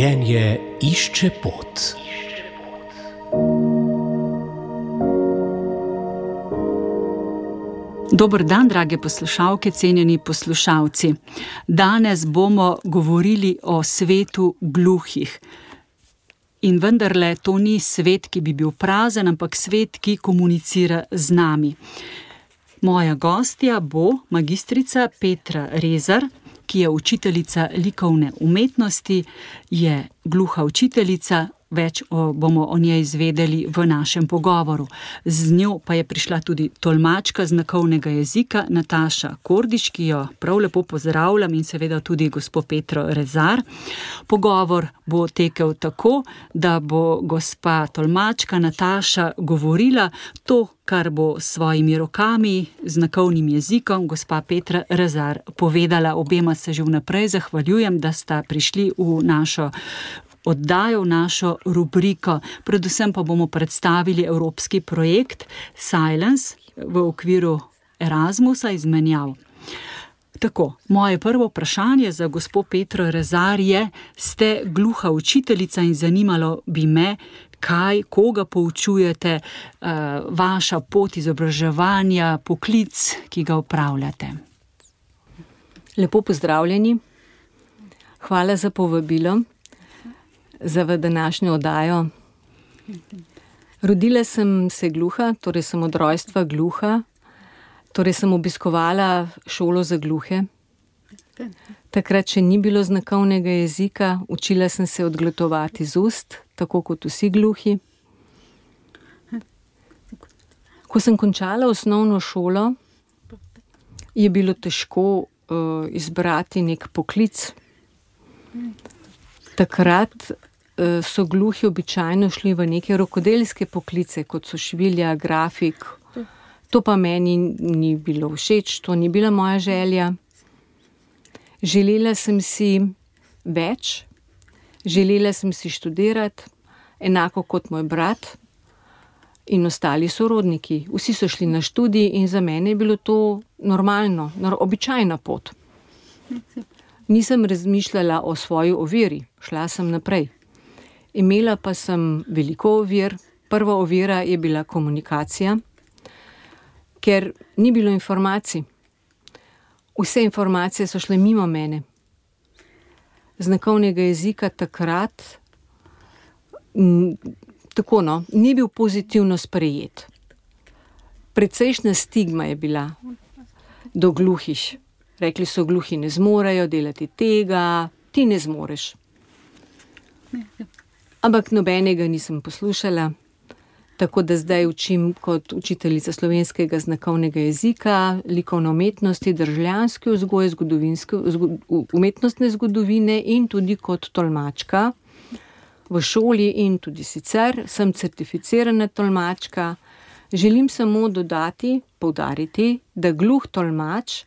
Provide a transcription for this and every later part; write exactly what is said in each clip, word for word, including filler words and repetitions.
Življenje išče pot. Dober dan, drage poslušalke, cenjeni poslušalci. Danes bomo govorili o svetu gluhih. In vendarle to ni svet, ki bi bil prazen, ampak svet, ki komunicira z nami. Moja gostja bo magistrica Petra Rezar, ki je učiteljica likovne umetnosti, je gluha učiteljica. Več o, bomo o njej izvedeli v našem pogovoru. Z njo pa je prišla tudi tolmačka znakovnega jezika Nataša Kordiš, ki jo prav lepo pozdravljam, in seveda tudi gospo Petro Rezar. Pogovor bo tekel tako, da bo gospa tolmačka Nataša govorila to, kar bo s svojimi rokami, znakovnim jezikom, gospa Petra Rezar povedala. Obema se že vnaprej zahvaljujem, da sta prišli v našo oddajo, v našo rubriko. Predvsem pa bomo predstavili evropski projekt Silence v okviru Erasmusa izmenjav. Tako, moje prvo vprašanje za gospo Petro Rezar je: ste gluha učiteljica in zanimalo bi me, kaj, koga poučujete, vaša pot izobraževanja, poklic, ki ga opravljate. Lepo pozdravljeni. Hvala za povabilo za v današnjo oddajo. Rodila sem se gluha, torej sem od rojstva gluha, torej sem obiskovala šolo za gluhe. Takrat še ni bilo znakovnega jezika, učila sem se odglatovati z ust, tako kot vsi gluhi. Ko sem končala osnovno šolo, je bilo težko uh, izbrati nek poklic. Takrat so gluhi običajno šli v neke rokodelske poklice, kot so švilja, grafik. To pa meni ni bilo všeč, to ni bila moja želja. Želela sem si več, želela sem si študirati, enako kot moj brat in ostali sorodniki. Vsi so šli na študij in za mene je bilo to normalno, običajna pot. Nisem razmišljala o svoji oviri, šla sem naprej. Imela pa sem veliko ovir. Prva ovira je bila komunikacija, ker ni bilo informacij. Vse informacije so šle mimo mene. Znakovnega jezika takrat m, tako no, ni bil pozitivno sprejet. Precejšnja stigma je bila do gluhih. Rekli so, gluhi ne zmorejo delati tega, ti ne zmoreš. Ampak nobenega nisem poslušala, tako da zdaj učim kot učiteljica slovenskega znakovnega jezika, likovne umetnosti, državljanske vzgoje, zgodovinske, umetnostne zgodovine in tudi kot tolmačka v šoli in tudi sicer sem certificirana tolmačka. Želim samo dodati, poudariti, da gluh tolmač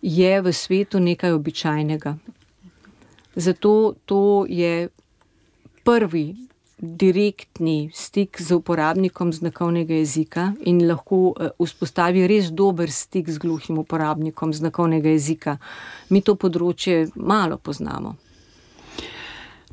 je v svetu nekaj običajnega. Zato to je prvi direktni stik z uporabnikom znakovnega jezika in lahko vzpostavi res dober stik z gluhim uporabnikom znakovnega jezika. Mi to področje malo poznamo.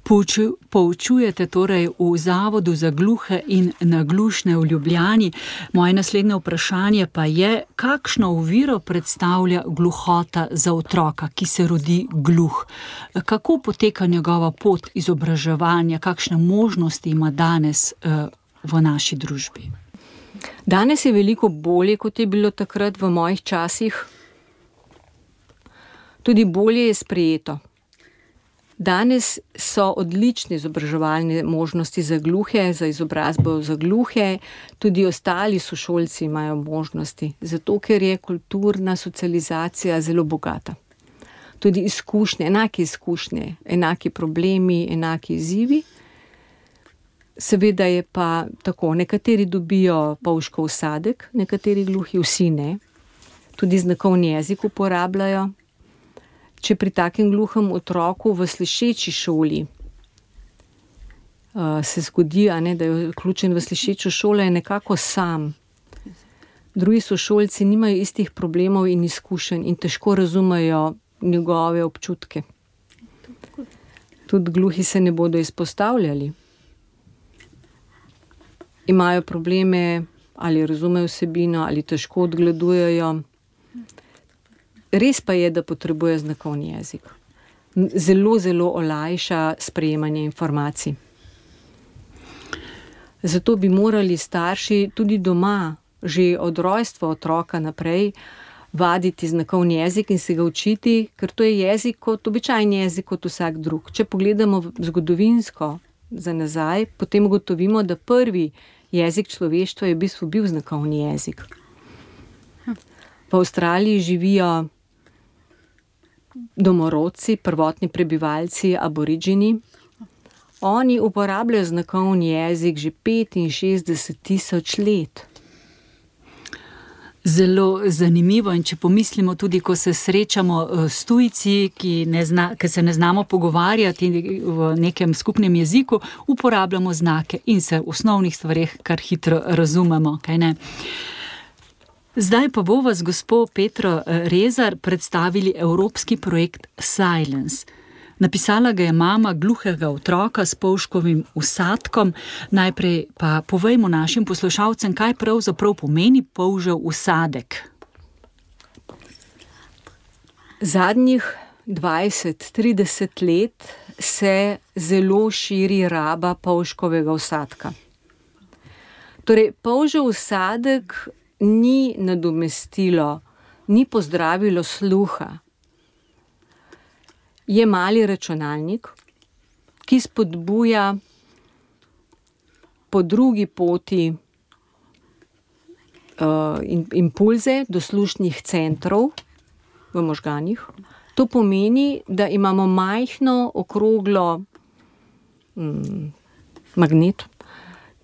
Pouču, poučujete torej v Zavodu za gluhe in naglušne v Ljubljani. Moje naslednje vprašanje pa je, kakšno oviro predstavlja gluhota za otroka, ki se rodi gluh? Kako poteka njegova pot izobraževanja, kakšne možnosti ima danes uh, v naši družbi? Danes je veliko bolje, kot je bilo takrat v mojih časih. Tudi bolje je sprejeto. Danes so odlične izobraževalne možnosti za gluhe, za izobrazbo za gluhe, tudi ostali sošolci imajo možnosti, zato ker je kulturna socializacija zelo bogata. Tudi izkušnje, enake izkušnje, enaki problemi, enaki izzivi. Seveda je pa tako, nekateri dobijo polžkov sadek, nekateri gluhi, vsi ne. Tudi znakovni jezik uporabljajo. Če pri takem gluhem otroku v slišeči šoli uh, se zgodi, a ne, da je vključen v slišečo šolo, je nekako sam. Drugi sošolci nimajo istih problemov in izkušenj in težko razumejo njegove občutke. Tudi gluhi se ne bodo izpostavljali. Imajo probleme, ali razumejo vsebino, ali težko odgledujejo. Res pa je, da potrebuje znakovni jezik. Zelo, zelo olajša sprejemanje informacij. Zato bi morali starši tudi doma, že od rojstva otroka naprej, vaditi znakovni jezik in se ga učiti, ker to je jezik kot običajni jezik, kot vsak drug. Če pogledamo zgodovinsko za nazaj, potem ugotovimo, da prvi jezik človeštva je v bistvu bil znakovni jezik. V Avstraliji živijo domorodci, prvotni prebivalci, aboriđini. Oni uporabljajo znakovni jezik že petinšestdeset tisoč let. Zelo zanimivo, in če pomislimo tudi, ko se srečamo s tujci, ki, ne zna, ki se ne znamo pogovarjati v nekem skupnem jeziku, uporabljamo znake in se v osnovnih stvareh kar hitro razumemo, kaj ne? Zdaj pa bo vas gospo Petro Rezar predstavili evropski projekt Silence. Napisala ga je mama gluhega otroka s polžkovim vsadkom. Najprej pa povejmo našim poslušalcem, kaj pravzaprav pomeni polžev vsadek. Zadnjih dvajset trideset let se zelo širi raba polžkovega vsadka. Torej, polžev vsadek ni nadomestilo, ni pozdravilo sluha. Je mali računalnik, ki spodbuja po drugi poti uh, impulze do slušnih centrov v možganih. To pomeni, da imamo majhno, okroglo mm, magnet,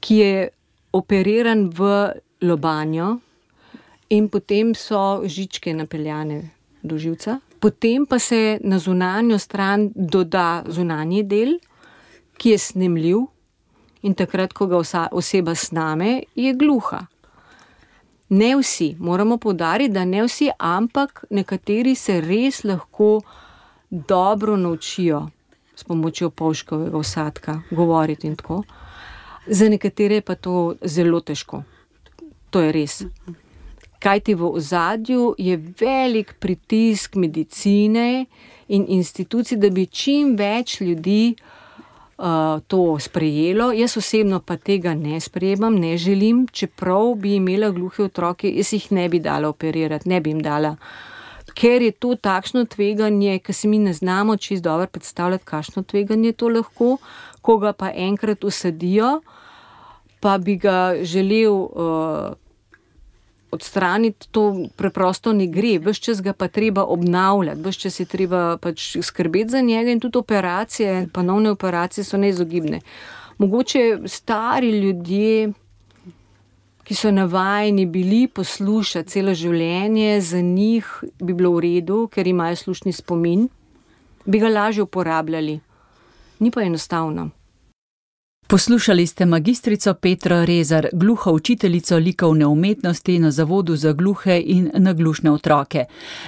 ki je operiran v lobanjo in potem so žičke napeljane do živca. Potem pa se na zunanjo stran doda zunanji del, ki je snemljiv, in takrat, ko ga oseba sname, je gluha. Ne vsi, moramo poudariti, da ne vsi, ampak nekateri se res lahko dobro naučijo s pomočjo polžkovega vsadka govoriti in tako. Za nekatere je pa to zelo težko. To je res. Kajti v ozadju je velik pritisk medicine in institucij, da bi čim več ljudi uh, to sprejelo. Jaz osebno pa tega ne sprejemam, ne želim, čeprav bi imela gluhe otroke, jaz jih ne bi dala operirati, ne bi jim dala. Ker je to takšno tveganje, ker se mi ne znamo čisto dobro predstavljati, kakšno tveganje to lahko, ko ga pa enkrat usadijo, pa bi ga želel uh, odstraniti, to preprosto ne gre, ves čas ga pa treba obnavljati, ves čas je treba pač skrbeti za njega in tudi operacije, ponovne operacije so neizogibne. Mogoče stari ljudje, ki so navajeni bili poslušati celo življenje, za njih bi bilo v redu, ker imajo slušni spomin, bi ga lažje uporabljali. Ni pa enostavno. Poslušali ste magistrico Petro Rezar, gluho učiteljico likovne umetnosti na Zavodu za gluhe in naglušne otroke.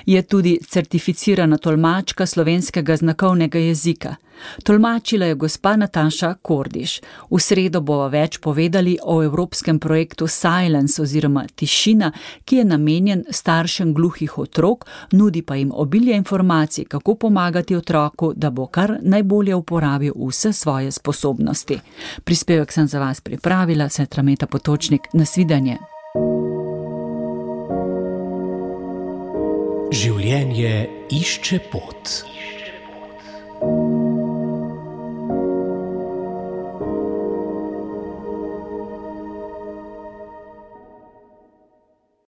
Je tudi certificirana tolmačka slovenskega znakovnega jezika. Tolmačila je gospa Nataša Kordiš. V sredo bova več povedali o evropskem projektu Silence oziroma Tišina, ki je namenjen staršem gluhih otrok, nudi pa jim obilje informacij, kako pomagati otroku, da bo kar najbolje uporabil vse svoje sposobnosti. Prispevek sem za vas pripravila, sestra Meta Potočnik. Nasvidenje. Življenje išče pot.